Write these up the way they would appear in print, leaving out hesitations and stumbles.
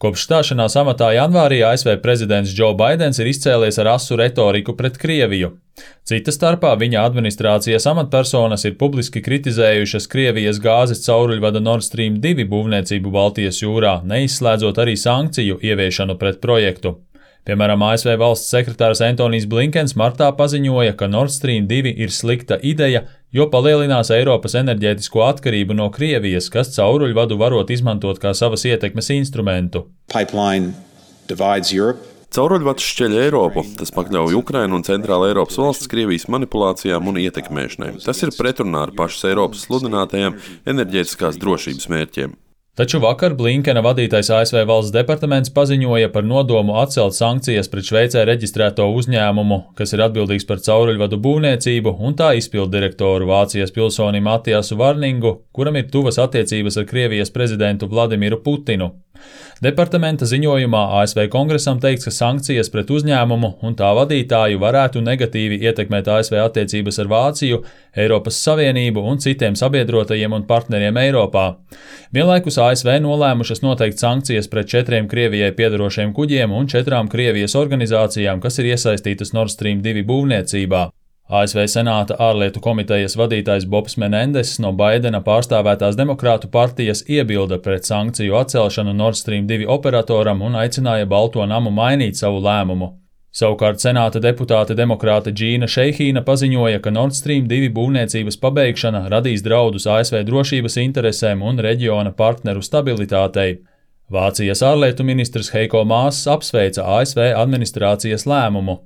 Kopš stāšanās amatā janvārī ASV prezidents Joe Baidens ir izcēlies ar asu retoriku pret Krieviju. Cita starpā viņa administrācijas amatpersonas ir publiski kritizējušas Krievijas gāzes cauruļvada Nord Stream 2 būvniecību Baltijas jūrā, neizslēdzot arī sankciju ieviešanu pret projektu. Piemēram, ASV valsts sekretārs Antonijs Blinkens martā paziņoja, ka Nord Stream 2 ir slikta ideja, jo palielinās Eiropas enerģētisko atkarību no Krievijas, kas cauruļvadu varot izmantot kā savas ietekmes instrumentu. Cauruļvads šķeļ Eiropu, tas pakļauj Ukrainu un Centrāla Eiropas valsts Krievijas manipulācijām un ietekmēšanai. Tas ir pretrunā ar pašas Eiropas sludinātajiem enerģētiskās drošības mērķiem. Taču vakar Blinkena vadītais ASV valsts departaments paziņoja par nodomu atcelt sankcijas pret Šveicē reģistrēto uzņēmumu, kas ir atbildīgs par cauruļvadu būvniecību, un tā izpilddirektoru Vācijas pilsoni Matiasu Varningu, kuram ir tuvas attiecības ar Krievijas prezidentu Vladimiru Putinu. Departamenta ziņojumā ASV kongresam teikts, ka sankcijas pret uzņēmumu un tā vadītāju varētu negatīvi ietekmēt ASV attiecības ar Vāciju, Eiropas Savienību un citiem sabiedrotajiem un partneriem Eiropā. Vienlaikus ASV nolēmušas noteikt sankcijas pret 4 Krievijai piedarošiem kuģiem un 4 Krievijas organizācijām, kas ir iesaistītas Nord Stream 2 būvniecībā. ASV Senāta ārlietu komitejas vadītājs Bobs Menendess no Baidena pārstāvētās Demokrātu partijas iebilda pret sankciju atcelšanu Nord Stream 2 operatoram un aicināja Balto namu mainīt savu lēmumu. Savukārt Senāta deputāte demokrāte Džīna Šeihīna paziņoja, ka Nord Stream 2 būvniecības pabeigšana radīs draudus ASV drošības interesēm un reģiona partneru stabilitātei. Vācijas ārlietu ministrs Heiko Maas apsveica ASV administrācijas lēmumu.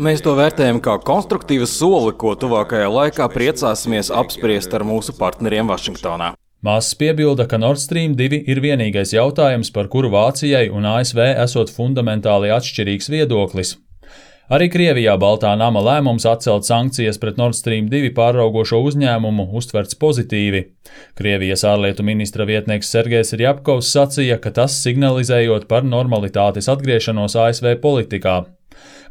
Mēs to vērtējam kā konstruktīvu soli, ko tuvākajā laikā priecāsimies apspriest ar mūsu partneriem Vašingtonā. Māsas piebilda, ka Nord Stream 2 ir vienīgais jautājums, par kuru Vācijai un ASV esot fundamentāli atšķirīgs viedoklis. Arī Krievijā Baltā nama lēmums atcelt sankcijas pret Nord Stream 2 pāraugošo uzņēmumu uztverts pozitīvi. Krievijas ārlietu ministra vietnieks Sergejs Rjapkovs sacīja, ka tas signalizējot par normalitātes atgriešanos ASV politikā.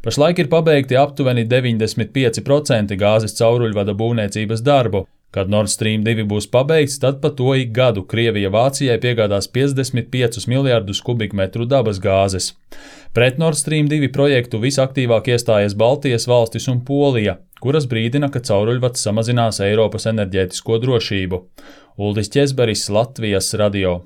Pašlaik ir pabeigti aptuveni 95% gāzes cauruļvada būvniecības darbu. Kad Nord Stream 2 būs pabeigts, tad pa to ik gadu Krievija Vācijai piegādās 55 miljardus kubikmetru dabas gāzes. Pret Nord Stream 2 projektu visaktīvāk iestājas Baltijas valstis un Polija, kuras brīdina, ka cauruļvads samazinās Eiropas enerģētisko drošību. Uldis Ķezberis, Latvijas radio.